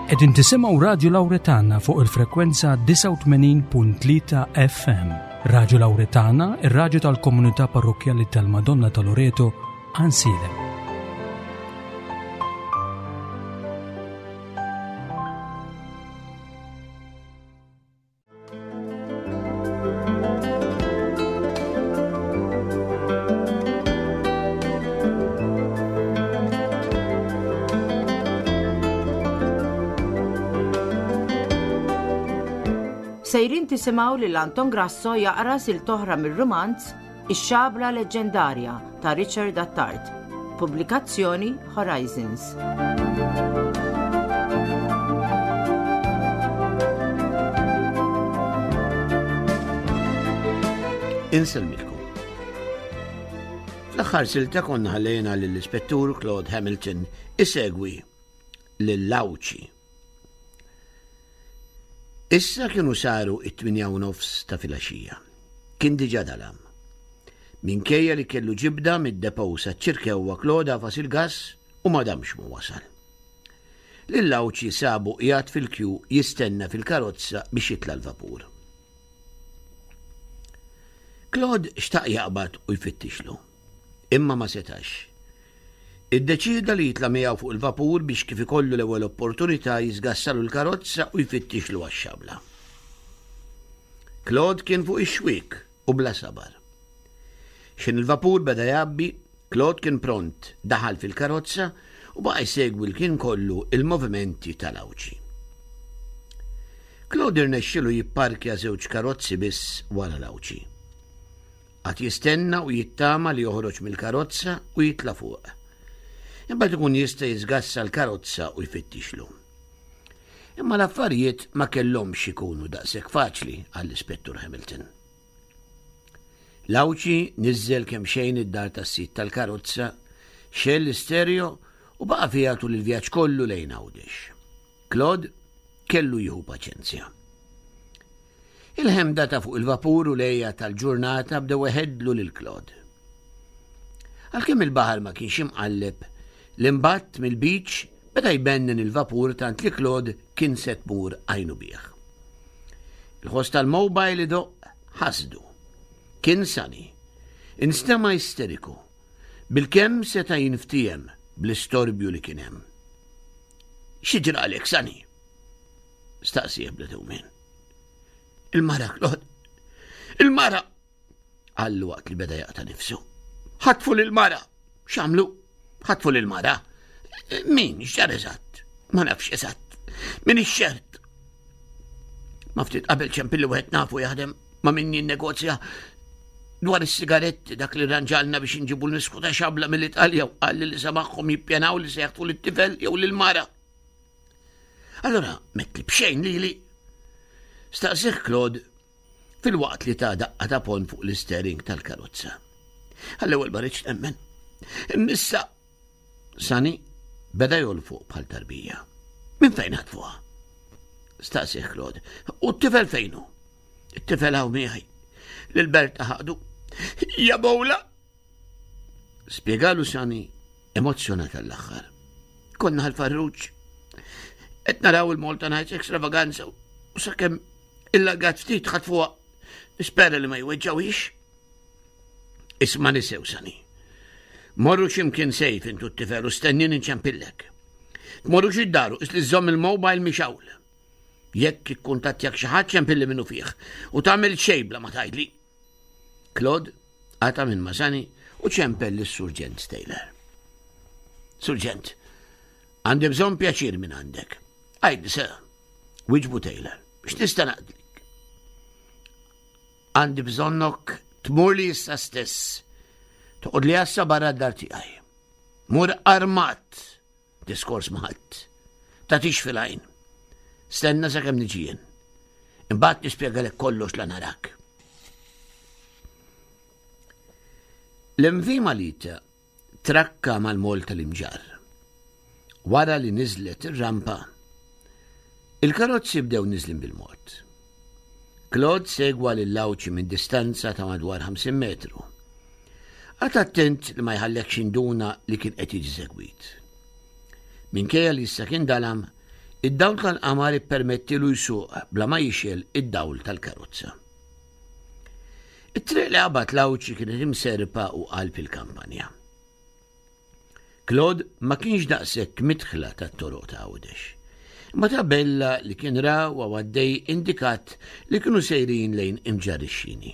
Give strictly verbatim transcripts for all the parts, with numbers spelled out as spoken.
Qegħdin tisimgħu Radju Lawretana fuq il-frekwenza disgħa u tmenin punt tlieta F M. Radju Lawretana, ir-radju tal-Komunità Parrokkjali tal-Madonna ta' Loreto, Għajnsielem. Sejrin tisimgħu lil Anton Grasso jaqra silta oħra mir-rumanz Ix-Xabla Leġġendarja ta' Richard Attard. Pubblikazzjoni Horizons. Insellmilkom. Fl-aħħar silta konna ħallejna lill-Ispettur Claude Hamilton isegwi lil Għawdxi. Issa kienu saru it-tmienja u nofs ta' filgħaxija. Kien diġà dalam. Minkejja li kellu ġibda mid-depot saċ-Ċirkewwa, Claude għafas il-gas u ma damx ma wasal. Lil Għawdxi sabu qiegħed fil-kju jistenna fil-karozza biex jitla l-vapur. Claude xtaq jaqbad u jfittixlu, imma ma setax. Iddeċida li jitla miegħu fuq il-vapur biex kif ikollu l-ewwel opportunità jiżgassalu l-karozza u jfittixlu għax-xabla. Claude kien fuq ix-xwiek u bla sabar. X'ħin il-vapur beda jgħabbi, Claude kien pront, daħal fil-karozza u baqa' jsegwi l-ħin kollu il-movimenti tal-Għawdxi. Claude irnexxilu jipparkja żewġ karozzi biss wara l-Għawdxi. Qagħad jistenna u jittama li joħroġ mill-karozza u jitla fuq. Imbagħad ikun jista' jiżgassa l-karozza u jfittixlu. Imma l-affarijiet ma kellhomx ikunu daqshekk faċli għall-Ispettur Hamilton. L-Għawdxi niżel kemm xejn id-dar tas-sid tal-karozza, xegħel l-istereo u baqa' fiha tul il-vjaġġ kollu lejn Għawdex. Claude kellu jieħu paċenzja. Il-ħemda ta' fuq il-vapur u l-għeja tal-ġurnata bdew iħeddlu lil Claude. Għalkemm il-baħar ma kienx imqalleb, l-imbatt mill-beach beda jbennen il-vapur tant li Claude kien se tmur għajnu bih. Il-ħoss tal-mobile idoqq ħasdu. Kien Sani. Instema isteriku. Bilkemm seta' jinftiehem bl-istorbju li kien hemm. "X'ġralek, Sani?" staqsieh bla dewmien. "Il-mara, Claude. Il-mara!" qallu waqt li beda jaqta' nifsu. "Ħatfu lil-mara." "X'għamlu?" "Ħatfu lil-mara." "Min? X'ġara eżatt?" "Ma nafx eżatt. M'iniex ċert. Ma ftit qabel ċempilli wieħed nafu jaħdem ma' min jinnegozja dwar is-sigaretti, dak li ranġalna biex inġibu l-misku ta' xabla mill-Italja, u qalli li samagħhom jippjanaw li se jaħtfu lit-tifel jew lil-mara." "Allora, metli bxejn lili?" staqsieh Claude filwaqt li ta daqqa ta' ponn fuq l-istering tal-karozza. "Għall-ewwel ma ridtx nemmen. Issa." Sani beda jolfoq bħal tarbija. "Minn fejn ħatfuha?" staqsieh Claude. "U t-tifel fejnu?" "It-tifel hawn miegħi. Lil Berta ħadu. Ja bowla!" spjegalu Sani emozzjonat għall-aħħar. "Konna Ħal Farruġ. Qed naraw il-Malta Nights Extravaganza u sakemm il-lagat ftit ħatfuha. Nispera li ma jweġġawix." "Isma' nisew, Sani. Morru x'imkien safe intu t-tifel u stennini nċempillek. Tmorrux id-dar u qis li żżomm il-mobile mixgħul. Jekk ikkuntattjak xi ħadd, ċempilli minnufih u tagħmel xejn bla ma tgħidli." Claude qata' minn ma' Sani u ċempel lis-Surġent Taylor. "Surġent, għandi bżonn pjaċir minn għandek." "Għidli, sir," wieġbu Taylor. "X'nista' naqdlik?" "Għandi bżonnok tmur li issa stess. Toqgħod li għassa barra d-dar tiegħi. Mur armat, diskors ma' ħadd. Tagħtix fil-għajn. Stenna sakemm niġi jien. Imbagħad nispjegalek kollox la narak." L-M V Malita trakka mal-mol tal-Imġarr. Wara li niżlet ir-rampa, il-karozzi bdew niżlin bil-mod. Claude segwa lil Għawdxi minn distanza ta' madwar ħamsin metru. Qagħad attent li ma jħallekx induna li kien qed jiġi segwit. Minkejja li issa kien dalam, Id-dawl tal-qamar ippermettilu jsuq bla ma jixgħel id-dawl tal-karozza. It-triq li qabad l-Għawdxi kienet imserpa u qalb il-kampanja. Claude ma kienx daqshekk midħla tat-toroq ta' Għawdex. Imma tabella li kien ra u għaddej indikat li kienu sejrin lejn Imġarr ix-Xini.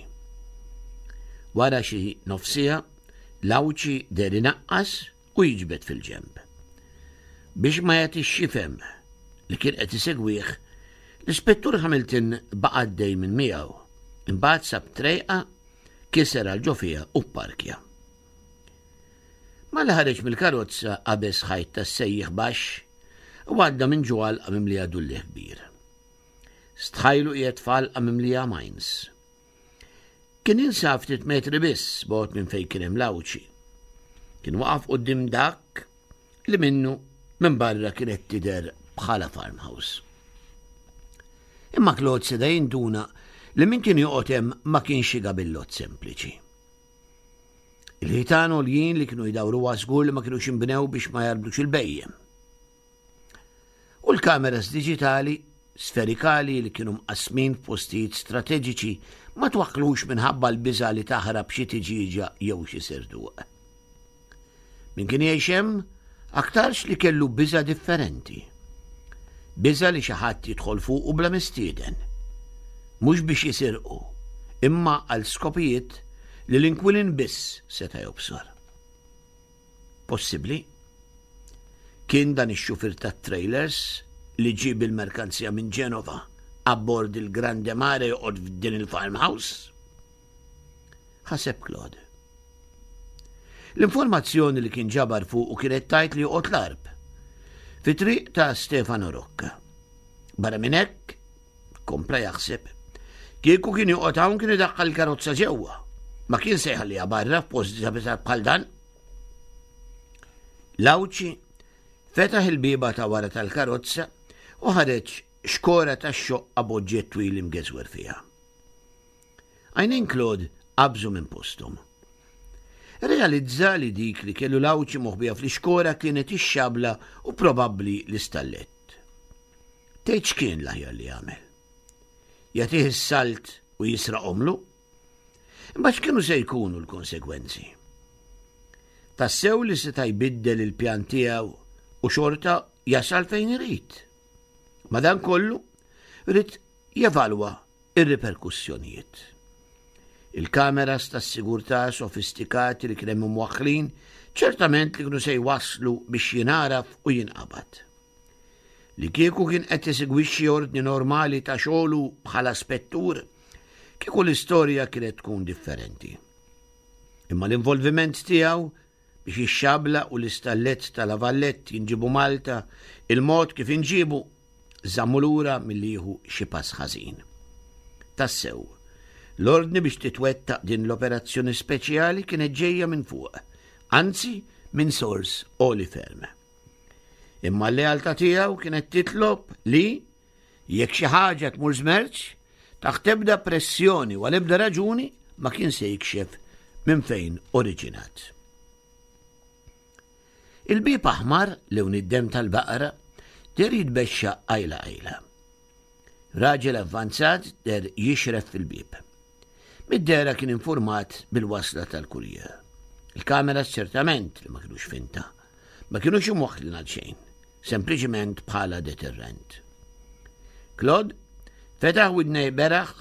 Wara xi nofsija, l-Għawdxi deher inaqqas u jiġbed fil-ġenb. Biex ma jagħtix x'jifhem li kien qed isegwih, l-Ispettur Hamilton baqa' għaddej minn miegħu. Imbagħad sab trejqa, kiser għal ġo fiha u pparkja. Malli ħareġ mill-karozza qabeż ħajt tas-sejjieħ baxx u għadda minn ġo għalqa mimlija dulliegħ kbir. Stħajlu qiegħed f'għalqa mimlija mines. Kien jinsab ftit metri biss bogħod minn fejn kien hemm l-Għawdxi. Kien waqaf quddiem dak li minnu minn barra kienet tidher bħala farmhouse. Imma Claude seta' jinduna li min kien joqgħod hemm ma kienx xi gabillott sempliċi. Il-ħitan għoljin li kienu jdawruha żgur li ma kinux inbnew biex ma jarbdux il-bhejjem. U l-kameras diġitali sferikali li kienu mqassmin f'postijiet strateġiċi ma twaħħlux minħabba l-biża' li taħrab xi tiġieġa jew xi serduq. Min kien jgħix hemm aktarx li kellu biża' differenti. Biża' li xi ħadd jidħol fuqu bla mistieden. Mhux biex jisirqu, imma għal skopijiet li l-inkwilin biss seta' jobsor. Possibbli? Kien dan ix-xufier tat-trailers li ġie bil-merkanzija minn Ġenova abbord il-Grande Mare joqgħod f'din il-farmhouse? Ħaseb Claude. L-informazzjoni li kien ġabar fuqu kienet tgħid li joqgħod l-Għarb, fi triq ta' Stefano Rocca. Barra minn hekk, kompla jaħseb, kieku kien joqgħod hawn kien idaħħal il-karozza ġewwa. Ma kien se jħalliha barra f'post diżabitat bħal dan. L-Għawdxi fetaħ il-bieba ta' wara tal-karozza u ħareġ xkora ta' xoqqa b'oġġett twil imgeżwer fiha. Għajnejn Claude qabżu minn posthom. Realizza li dik li kellu l-Għawdxi moħbija fl-ixkora kienet ix-xabla u probabbli l-istallett. Tgħid x'kien l-aħjar li jagħmel? Jagħtih is-salt u jisraqhomlu? Imma x'kienu se jkunu l-konsegwenzi? Tassew li seta' jbiddel il-pjan tiegħu u xorta jasal fejn irid. Madankollu, ried jevalwa ir-riperkussjonijiet. Il-kameras tas-sigurtà sofistikati li kien hemm imwaħħlin ċertament li kienu se jwasslu biex jingħaraf u jinqabad. Li kieku kien qed isegwixxi ordni normali ta' xogħlu bħala spettur, kieku l-istorja kienet tkun differenti. Imma l-involviment tiegħu biex ix-xabla u l-istallett tal-Avallett jinġibu Malta, il-mod kif inġibu, żammu lura milli jieħu xi pass ħażin. Tassew, l-ordni biex titwettaq din l-operazzjoni speċjali kienet ġejja minn fuq, anzi minn sors għoli ferm. Imma l-lealtà tiegħu kienet titlob li jekk xi ħaġa tmur żmerċ, taħt ebda pressjoni u għal ebda raġuni ma kien se jikxef minn fejn oriġinat. Il-bieb aħmar lewn id-demm tal-baqra deher jitbexxa qajla qajla. Raġel avvanzat deher jixref fil-bieb. Mid-dehra kien informat bil-wasla tal-kurjer. Il-kameras ċertament li ma kinux finta, ma kinux imwaħħlin għal xejn, sempliċiment bħala deterrent. Claude fetaħ widnej beraħ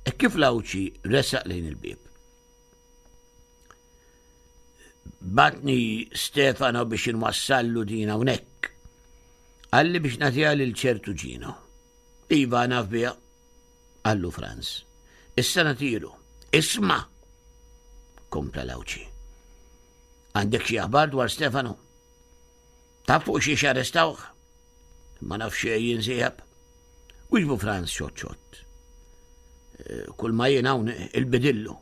e kif l-Għawdxi resaq lejn il-bieb. Batni Stefano biex inwassallu din hawnhekk. Qalli biex nagħtiha lil ċertu Gino. Iva naf biha, qallu Franz. Issa nagħtilu. Isma', kompla l-Għawdxi. Għandek xi aħbar dwar Stefano? Taf fuq xiex arrestawh? Ma nafx xejn jien sieħeb. Wieġbu Franz xott xott. Eh, kull ma jien hawn il-bidillu.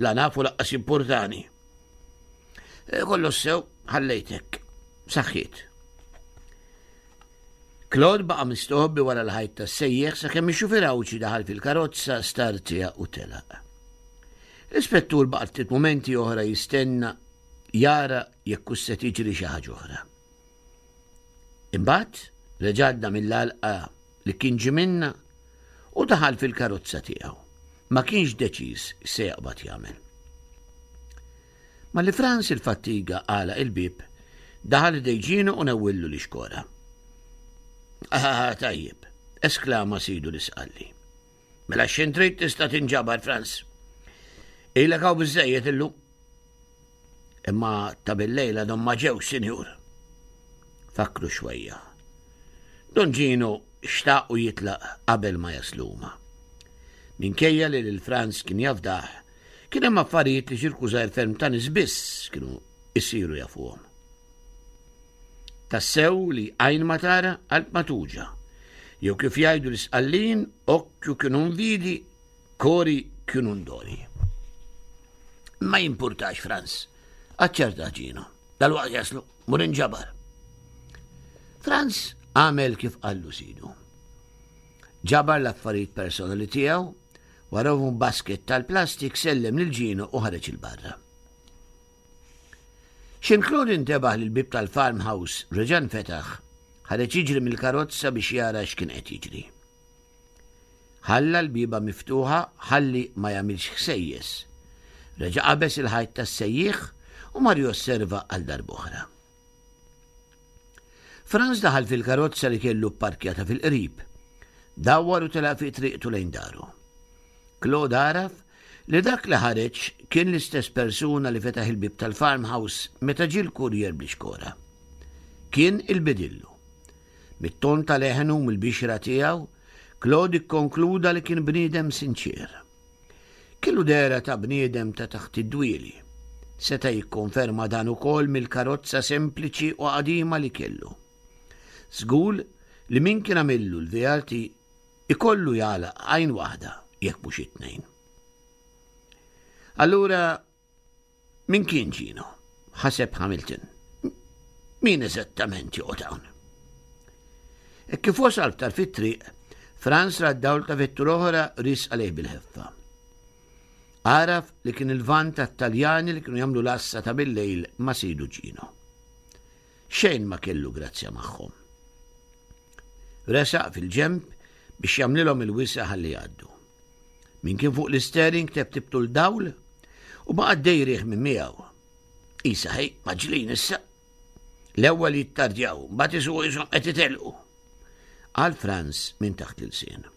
La nafu laqqas importani. Eh, kollox sew, ħallejtek. Saħħiet. Claude baqa' mistoħbi wara l-ħajt tas-sejjeħ sakemm ix-xufier Għawdxi daħal fil-karozza, startja u telaq. L-ispettur baqa' ftit mumenti oħra jistenna jara jekk hux se tiġri xi ħaġa oħra. Imbagħad Reġa' għadda mill-għalqa li kien ġie minnha u daħal fil-karozza tiegħu. Ma kienx deċiż se jaqbad jagħmel. Malli Frans il-fattiga għalaq il-bieb, daħal ħdejn Ġino u newwillu l-ixkora. Ah, tajjeb, esklama sidu l-Isqalli. Mela x'ħin trid tista' tinġabar, Frans. Ilek hawn biżżejjed illum. Imma ta' bil-lejla don ma ġewx, sinjur. Fakru xwejja. Don Ġino xtaq u jitlaq qabel ma jaslu huma. Minkejja li lil Frans kien jafdah, kien hemm affarijiet li ċirku żgħir ferm ta' nies biss kienu jsiru jafuhom. Tassew li għajn ma tara, qalb ma tuġa'. Jew kif jgħidu l-Isqallin, occhio che non vidi, cori che non doli. Ma jimpurtax, Frans, aċċerta Ġino. Dalwaqt jaslu, mur inġabar. Frans għamel kif qallu sidu. Ġabar l-affarijiet personali tiegħu, warahom basket tal-plastik, sellem lil Ġino u ħareġ 'il barra. X'ħin Claude intebaħ li l-bib tal-farmhouse reġa' nfetaħ, ħareġ jiġri mill-karozza biex jara x'kien qed jiġri. Ħalla l-bieba miftuħa ħalli ma jagħmilx ħsejjes. Reġa' qabeż il-ħajt tas-sejjieħ u mar josserva għal darb'oħra. Franz daħal fil-karozza li kellu pparkjata fil-qrib. Dawwar u telaq fi triqtu lejn daru. Claude għaraf li dak li ħareġ kien l-istess persuna li fetaħ il-bib tal-farmhouse meta ġie l-kurjer bl-ixkora. Kien il-bidillu. Mit-ton ta' leħnu mill-bixra tiegħu, Claude ikkonkluda li kien bniedem sinċir. Kellu dehra ta' bniedem ta' taħt id-dwieli. Seta' jikkonferma dan ukoll mill-karozza sempliċi u qadima li kellu. Żgur li min kien għamillu l-V R T ikollu jagħlaq għajn waħda jekk mhux it-tnejn. Allura, min kien Ġino? Ħaseb Hamilton. Min eżattament joqgħod hawn? E kif wasal aktar fit-triq, Franz ra d-dawl ta' vettura oħra riesqa għalih bil-ħeffa. Għaraf li kien il-van tat-Taljani li kienu jagħmlu l-għassa ta' bil-lejl ma' sidu Ġino. Xejn ma kellu grazzja magħhom. Resaq fil-ġemp biex jagħmlilhom il-wisa ħalli jgħaddu. Min kien fuq l-steering teptibtu l-dawl u baqa' dejriħ minn miegħu. Isa ħej, mgħaġġlin issa. L-ewwel jittardjaw, mbagħad isuqu qishom qed itelqu. Qal Franz minn taħt l-ilsien.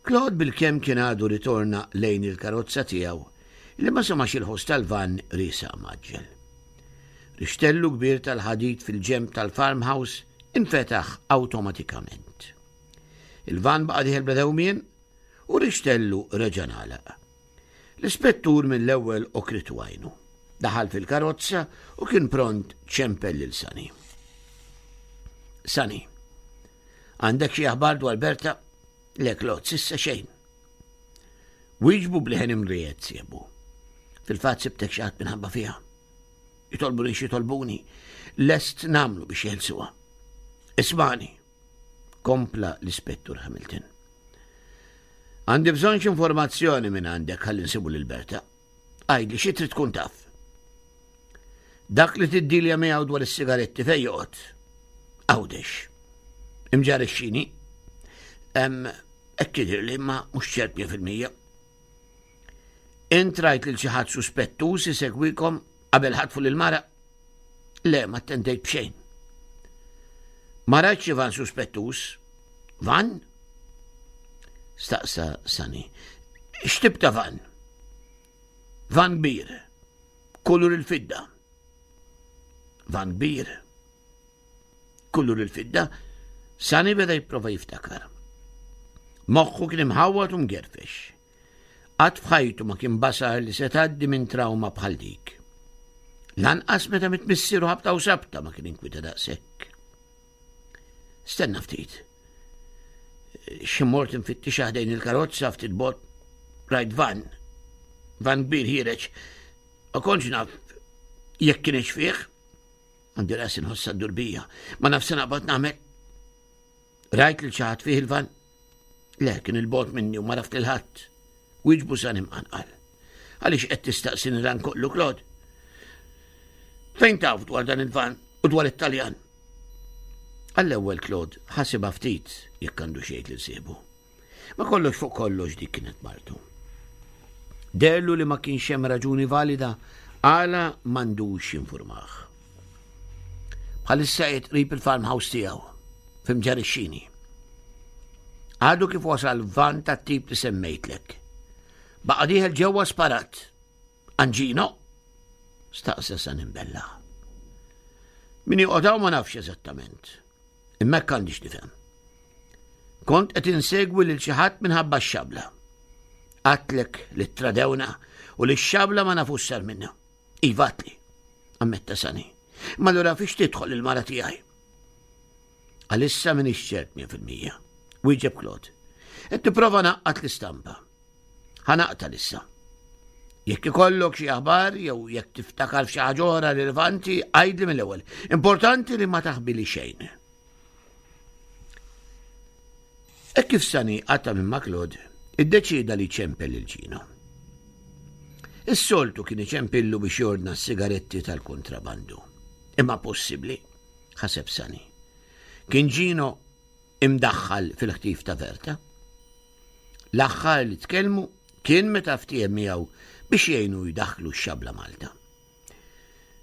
Claude bil-kemm kien għadu ritorna lejn il-karozza tiegħu li ma semax il-ħoss tal-van riesaq mgħaġġel. Rixtellu kbir tal-ħadid fil-ġemp tal-farmhouse infetaħ awtomatikament. Il-van baqa' dieħel bla dewmien u rixtellu reġa' ngħalaq. L-ispettur mill-ewwel għokritu għajnu. Daħal fil-karozza u kien pront ċempel lil Sani. Sani, għandek xi aħbar dwar Berta? Le, Claude, s'issa xejn. Wieġbu b'leħen imriegħed sieħbu. Fil-fatt sibtek xi ħadd minħabba fiha. Jitolbuni x'jitolbuni, lest nagħmlu biex jeħilsuha. Ismagħni, kompla l-ispettur Hamilton. Għandi bżonn informazzjoni minn għandek ħalli nsibu lil Berta. Għidli xi trid tkun taf. Dak li tiddilja miegħu dwar is-sigaretti fejn joqgħod? Għawdex. Imġarr ix-Xini. Hekk jidhirli, ma mhux ċert mija fil-mija. Int rajt lil xi ħadd suspettuż isegwikom qabel ħatfu lil mara? Le, ma attentejt b'xejn. Ma rajt xi van suspettuż? Van? Staqsa Sani. X'tip ta' van? Van kbir. Kulur il-fidda. Van kbir. Kulur il-fidda. Sani beda jipprova jiftakar. Moħħu kien imħawwad u mgerfex. Qatt f'ħajtu ma kien basar li se tgħaddi minn trauma bħal dik. Lanqas meta miet missieru ħabta u sabta ma kien inkwita daqshekk. Stenna ftit. Xi mort infittix ħdejn il-karozza ftit bogħod, rajt van. Van kbir ħiereġ. Ma kontx naf jekk kienx fih. Għandi rasi nħossha ddur bija. Ma naf x'se naqbad nagħmel. Rajt lil xi ħadd fih il-van? Le, kien 'il bogħod minni u ma għaraft lil ħadd. Wieġbu Sani mqanqal. Għaliex qed tistaqsini dan kollu, Claude? Fejn taf dwar dan il-van u dwar it-Taljan? Għall-ewwel Claude ħasibha ftit jekk għandu xejn lil sieħbu. Ma kollox fuq kollox dik kienet martu. Deherlu li ma kienx hemm raġuni valida għala m'għandux jinfurmah. Bħalissa qiegħed qrib il-farmhouse tiegħu f'Imġarr ix-Xini. Għadu kif wasal van tat-tip li semmejtlek. Baqa' dieħel ġewwa sparat. Anġino? Staqsa Sani mbellah. Min joqgħod ma nafx eżattament. Imma hekk għandix nifhem. Kont qed insegwi lil xi ħadd minħabba x-xabla. Għedtlek li tradewna u li x-xabla ma nafux sar minna. Iva għedtli, ammetta Sani. Ma allura fiex tidħol il-mara tiegħi? Għalissa m'iniex ċert mija fil-mija. Wieġeb Claude. Qed nipprova ngħaqqad l-istampa. Ħa naqta' issa. Jekk ikollok xi aħbar jew jekk tiftakar f'xi ħaġa oħra rilevanti, għidli mill-ewwel. Importanti li ma taħbili xejn. Hekk kif Sani qata' minn ma' Claude, iddeċieda li jċempel lil Ġino. Is-soltu kien iċempillu biex jordna s-sigaretti tal-kontrabandu. Imma possibbli, ħaseb Sani. Kien Ġino imdaħħal fil-ħtif ta' Verta. L-aħħar li tkellmu kien meta ftiehem miegħu biex jgħinu jdaħħlu x-xabla Malta.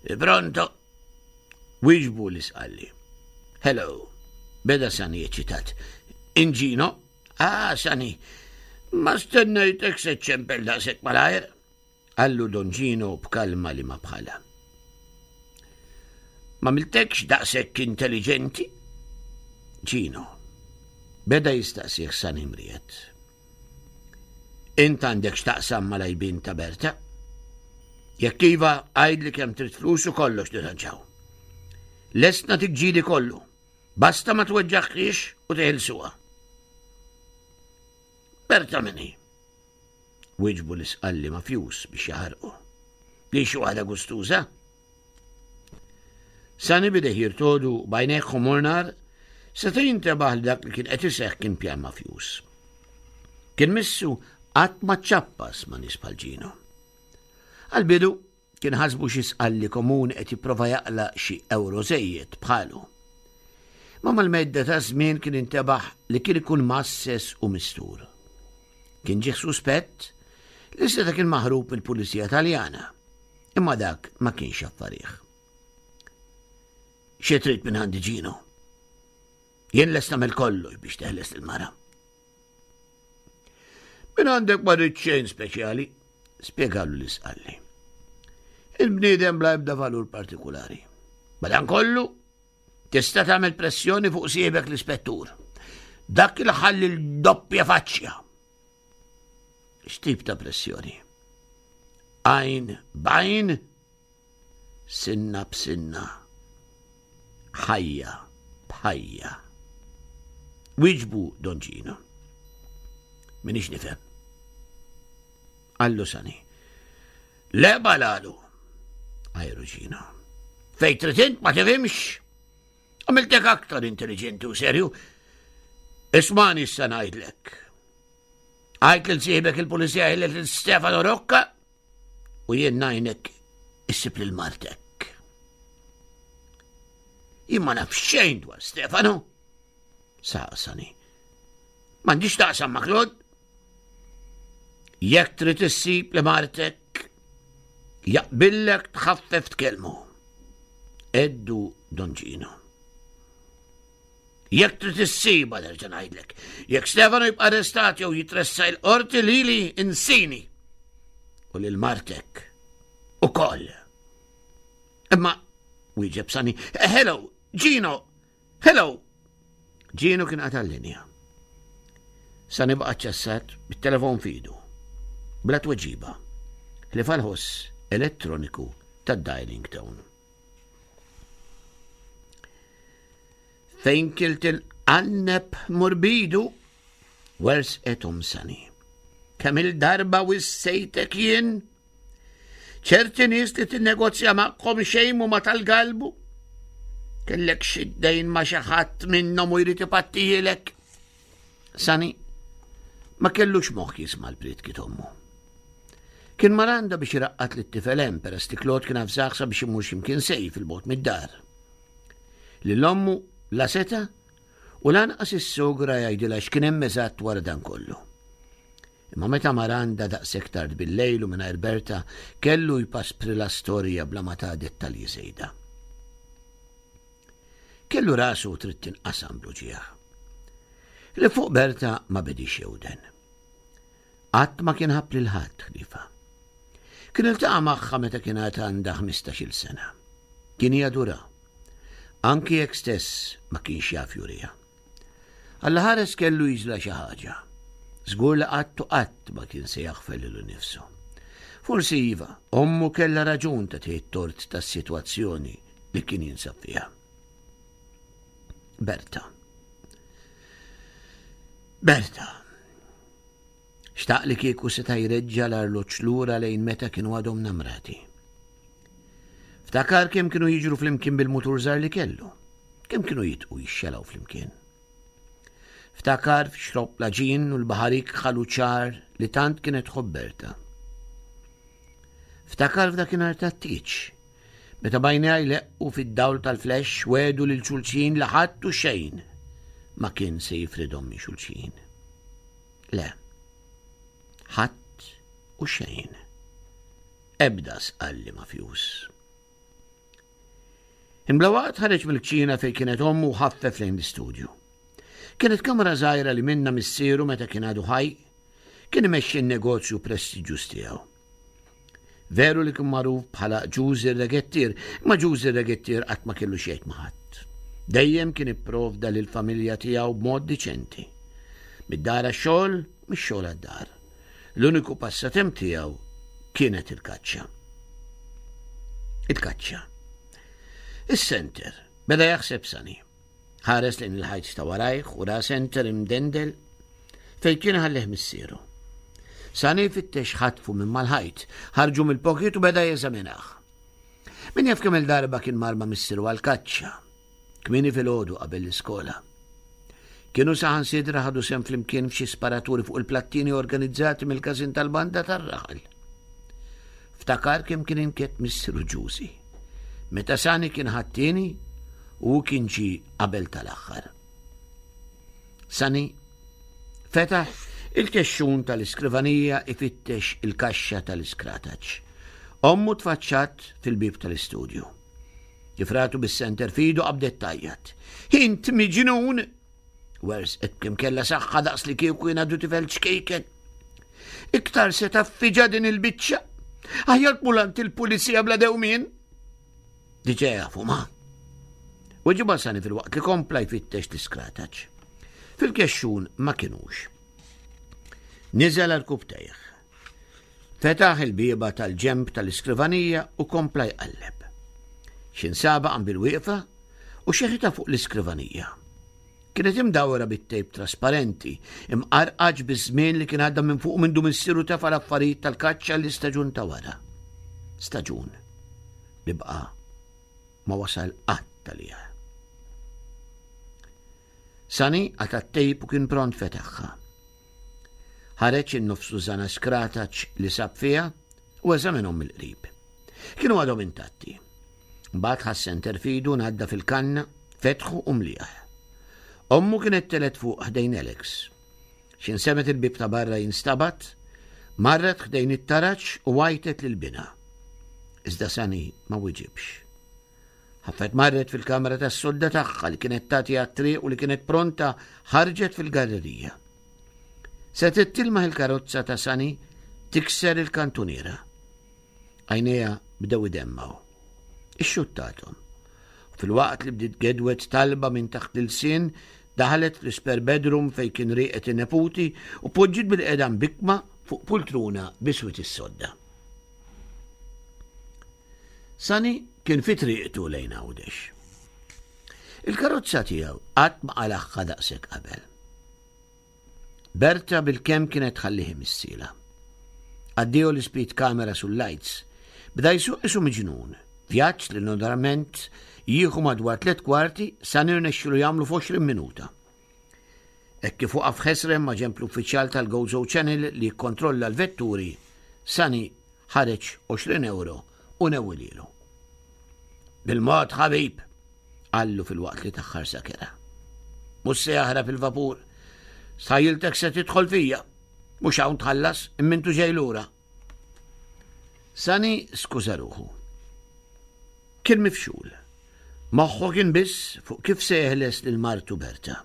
Pronto, wieġbu l-Isqalli. Hello, beda Sani eċitat. Inġino? Ah, Sani, ma stennejtek se ċempel daqshekk malajr. Qallu Don Gino b'kalma li ma bħala. Ma miltekx daqshekk intelligenti? Gino, beda jistaqsih Sani mriet. Int għandek x'taqsam mal-għajbien ta' Berta? Jekk iva, għidli kemm trid flus u kollox nirranġaw. Lest nagħtik ġidi kollu. Basta ma tweġġaħħiex u teħilsuha. Berta min hi? Wieġbu l-Isqalli mafjuż biex jaħarqu. Li xi waħda gustuża? Sani bideh jirtodu b'għajnejh ħomor nar, seta' jintebaħ li dak li kien qed iseħħ kien pjan mafjuż. Kien missu qatt ma ċappas ma' nies bħal Ġino. Għal-bidu kien ħasbu xi Sqalli komuni qed jipprova jaqla' xi ewro żejjed bħalu. Ma mal-medda ta' żmien kien intebaħ li kien ikun masses u mistur. Kien ġieħ suspett li seta' kien maħrub mill-Pulizija Taljana, imma dak ma kienx affarih. Xi trid minn għandi Ġino? Jien lest nagħmel kollox biex teħles il-mara. Minn għandek ma rrid xejn speċjali, spjegalu l-Isqalli. Il-bniedem bla ebda valur partikulari. Madankollu, tista' tagħmel pressjoni fuq siebek l-ispettur. Dak il-ħalli l-doppja faċċja. X'tip ta' pressjoni? Għajn b'għajn, sinna b'sinna, ħajja b'ħajja. Wieġbu Don Gino. Minix nifhem. Qallu Sani. Le balalu. Għajru Gino. Fejn trid int ma tifhimx. Għamiltek aktar intelligenti u serju. Ismani issa ngħidlek. Għajt lil sieħbek il-pulizija lil Stefano Rocca u jien ngħinek issib lil martek. Jien ma naf xejn dwar Stefano. Saqsani. M'għandix taqsam ma' Claude. Jekk trid issib li martek, jaqbillek tħaffef tkellmu. Eddu Don Gino. Jekk trid issiba nerġa' ngħidlek. Jekk Stefano jibqa' arrestat jew jitressa il-qorti lili insini. U lil martek ukoll. Imma wieġeb Sani, hello, Gino, hello. Gino kien qata' l-linja. Sani baqa' ċassat bit-telefon f'idu. Bla tweġiba. Ħlief għall-ħoss elettroniku tad-dialing tone. Fejn kilt il-qanneb murbidu, wersqet Omm Sani. Kemm il-darba wissejtek jien? Ċerti nies li tinnegozja magħhom xejn ma tal-galbu. Kellek xi dejn ma' xi ħadd minnhom u jrid ipattijilek. Sani ma kellux moħħ jisma' l-prietki t'ommu. Kien maranda biex iraqqad lit-tifel hemm peress li Claude kien avżah sabiex imur x'imkien sejf il-bogħod mid-dar. Lil ommu La seta' u lanqas is-sogra jgħidilha x'kien hemm eżatt wara dan kollu. Imma meta mar għandha daqshekk tard bil-lejl u mingħajr Berta kellu jpasprilha storja bla ma ta dettalji żejda. Kellu rasu trid tinqasam bl-uġigħ. Li fuq Berta ma bedix jewden. Qatt ma kien ħabb lil ħadd ħliefha. Kien iltaqa' magħha meta kien għad għandha ħmistax-il sena. Kien jadura. Anki jekk stess ma kienx jaf juriha. Alla ħares kellu jiġla xi ħaġa. Żgur li qatt u qatt ma kien se jaħfer lilu nnifsu. Forsi iva, ommu kellha raġun ta' tgħid tort tas-sitwazzjoni li kien jinsab fiha. Berta. Berta. Xtaq li kieku seta' jreġġa' l-arloġġ lura lejn meta kienu għadhom namrati. Ftakar kemm kienu jiġru flimkien bil-mutur żgħar li kellu, kemm kienu jitqu jixxelaw flimkien. Ftakar f'xrob laġin u l-baħarik ħalu ċar li tant kienet tħobb Berta. Ftakar f'dakinhar tat-tieġ, meta bajnejha jleqqu fid-dawl tal-flex wedu lil xulxin li ħadd u xejn ma kien se jifridhom minn xulxin. Le, ħadd u xejn. Ebda sqalli mafjuż. Imbla waqt ħareġ mill-kċina fejn kienet ommu u ħaffef lejn l-istudju. Kienet kamra żgħira li minna missieru meta kien għadu ħaj kien imexxi n-negozju prestiġjuż tiegħu. Veru li kien magħruf bħala Ġużi r-Regettier, imma Ġużi r-Regettier qatt ma kellu xejn ma' ħadd. Dejjem kien ipprovda lill-familja tiegħu b'mod diċenti. Mid-dar għax-xogħol, mix-xogħol għad-dar. L-uniku passatemp tiegħu kienet il-kaċċa. Il-kaċċa. Is-senter beda jaħseb Sani. Ħares lejn il-ħajt ta' warajh u ra senter imdendel fejn kien ħallih missieru. Sani fittex ħatfu minn mal-ħajt, ħarġu mill-pocket u beda jeżaminah. Min jaf kemm il-darba kien mar ma' missieru għall-kaċċa, kmieni filgħodu qabel l-iskola. Kienu saħansitra ħadu sehem flimkien f'xi sparaturi fuq il-plattini organizzati mill-każin tal-banda tar-raħal. Ftakar kemm kien inkett missieru Ġużi. Meta Sani kien ħadd-tieni u kien ġie qabel tal-aħħar. Sani fetaħ il-kexxun tal-iskrivanija ifittex il-kaxxa tal-iskrataċ. Ommu tfaċċat fil-bib tal-istudju. Kif ratu bis-senter fidu qabdet tajjat. Int miġnun! Wersqet kemm kellha saħħa daqs li kieku jien għadu tifel ċkejken. Iktar se taffiġa din il-biċċa. Aħjar tmur għand il-pulizija bla dewmien. Diġà jafu ma. Weġibha Sani fil-waqt li kompla jfittex l-iskrataċ. Fil-kexxun ma kinux. Niżel għal kubtejh. Fetaħ il-bieba tal-ġemb tal-iskrivanija u kompla jqalleb. Xinsaba qam bil-wieqfa u xeħitha fuq l-iskrivanija. Kienet imdawra bit-tejp trasparenti, imqarqaġ biż-żmien li kien għadda minn fuq minn du missieru tefa' l-affarijiet tal-kaċċa l-istaġun ta' wara. Staġun li baqa' ma wasal qatt għaliha. Sani qata' t-tejp u kien pront fetaħha. Ħareġ in-nofsu żana skrataċ li sab fiha u eżaminhom mill-qrib. Kienu għadhom intatti. Mbagħad ħass senter fidu ngħadda fil-kanna, fetħu u mlieħ. Ommu kienet telet fuq ħdejn Alex. X'in semet il-bib ta' barra jinstabat, marret ħdejn it-taraġ u għajtet lil binha. Iżda Sani ma wiġibx. Ħaffet marret fil-kamra tas-sodda tagħha li kienet tagħti għat-triq u li kienet pronta ħarġet fil-gallerija. Setgħet tilmaħ il-karozza ta' Sani tikser il-kantuniera. Għajnejha bdew idemmaw. Ixxuttathom. Fil-waqt li bdiet gedwet talba minn taħt l-ilsien, daħlet fl-isper bedroom fejn kien rieqet in-neputi u poġġiet bil-qedam bikma fuq pultruna biswit is-sodda. Sani kien fi triqtu lejn Għawdex. Il-karozza tiegħu qatt ma qalagħha daqshekk qabel. Berta bil-kemm kienet tħallih missila. Addio l-speed camera sul-lights, bda jsuq isu miġnun, vjaġġ li normalment jieħu madwar tliet kwarti sa nirnexxilu jagħmlu f'għoxrin minuta. Hekk kif waqaf ħesrem ma' ġenb l-uffiċjal tal-Gozo Channel li jikkontrolla l-vetturi, Sani ħareġ għoxrin euro u newwililu. Bil-mod ħabib, Qallu filwaqt li ta ħarsa kerha. Mhux se jaħrab il-vapur. Stħajjiltek se tidħol fija. Mhux hawn tħallas imma ġej lura. Sani skuża ruħu. Kien mifxul. Moħħu kien biss fuq kif se jeħles lil martu Berta.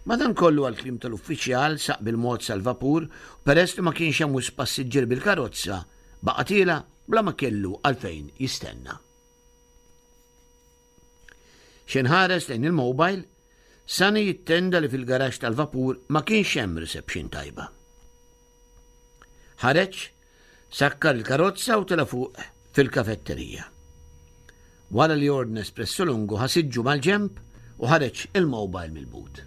Madankollu għall-kliem tal-uffiċjal saq bil-mod sal-vapur u peress li ma kienx hemm wisq passiġġier bil-karozza, baqa' tiela' bla ma kellu għalfejn jistenna. X'ħin ħares lejn il-mobile, Sani jittenda li fil-garaxx tal-vapur ma kienx hemm reception tajba. Ħareġ, sakkar il-karozza u tela' fuq fil-kafetterija. Wara li ordna espresso lungo ħa siġġu mal-ġenb u ħareġ il-mobile mill-but.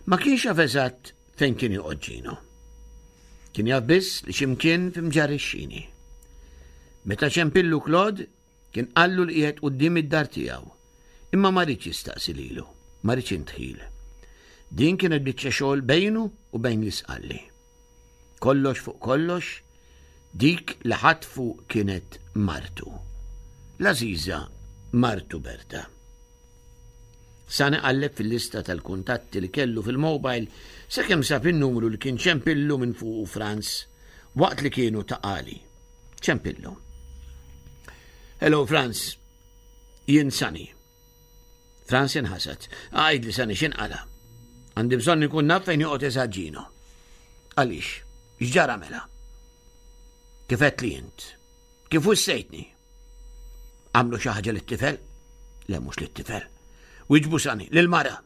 Ma kienx jaf eżatt fejn kien joqgħod Ġino. Kien jaf biss li x'imkien f'Mġarr ix-Xini. Meta ċempillu Claude kien qallu li qiegħed quddiem id-dar tiegħu. Imma ma riedx jistaqsi lilu, ma riedx indħil. Din kienet biċċa xogħol bejnu u bejn l-isqalli. Kollox fuq kollox, dik li ħatfu kienet martu. L-għażiża martu Berta. Sani qalleb fil-lista tal-kuntatti li kellu fil-mobile sakemm sab in-numru li kien ċempillu minn fuqu Franz waqt li kienu Ta' Qali. Ċempillu. Hello Franz, jien Sani. Franz inħasad. Għidli Sani x'inqala'. Għandi bżonn ikun naf fejn joqgħod eżatt Ġino. Għaliex? X'ġara mela? Kif li int? Kif wissejtni? Għamlu xi ħaġa lit-tifel? Le mhux lit-tifel. Wieġbu Sani, lil-mara.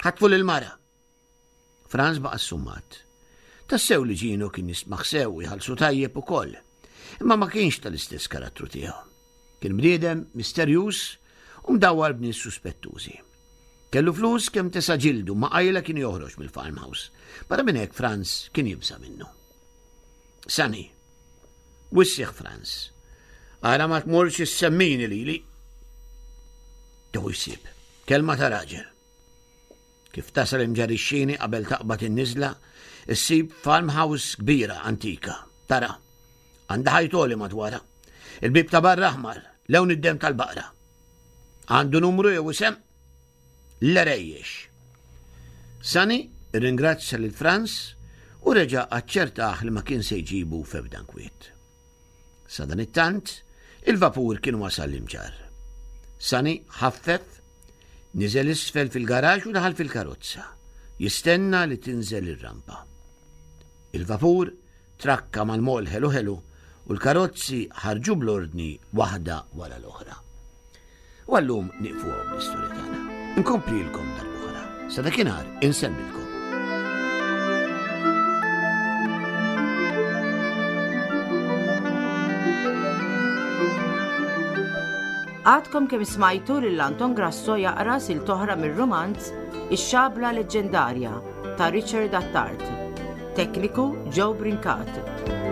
Ħatfu lil-mara. Franz baqa' summat. Tassew li Ġino kien jismaħ sew u jħallsu tajjeb ukoll. Imma ma kienx tal-istess karattru tiegħu. Kien bniedem misterjuż u mdawwar b'nies suspettużi. Kellu flus kemm tesa' ġildu ma qajla kien joħroġ mill-farmhouse. Barra minn hekk Franz kien jibża' minnu. Sani, wissieh Franz. Ara ma tmurx issemmini lili. Tieħu jsib. Kelma ta' raġel. Kif tasal Imġarr ix-Xini qabel taqbad in-niżla, issib farmhouse kbira antika. Tara, għandha ħajt għoli madwarha. Il-bib ta' barra aħmar, lewn id-dem tal-baqra. Għandu numru jew isem? L-erejjex. Sani ringrazzja lil Franz u reġa' aċċertah li ma kien se jġibu f'ebda nkwiet. Sadanittant, il-vapur kien wasal l-Imġarr. Sani ħaffef, niżel isfel fil-garaġ u daħal fil-karozza, jistenna li tinżel ir-rampa. Il-vapur trakka mal-mol ħelu ħelu u l-karozzi ħarġu bl-ordni waħda wara l-oħra. U għallum nieqfu l-istorja tagħna. Nkomplilkom darb'oħra. Sa dakinhar insellmilkom. Għadkom kemm smajtu lil Anton Grasso jaqra silta oħra mir-romanz Ix-Xabla Leġġendarja ta' Richard Attard. Tekniku Joe Brincat.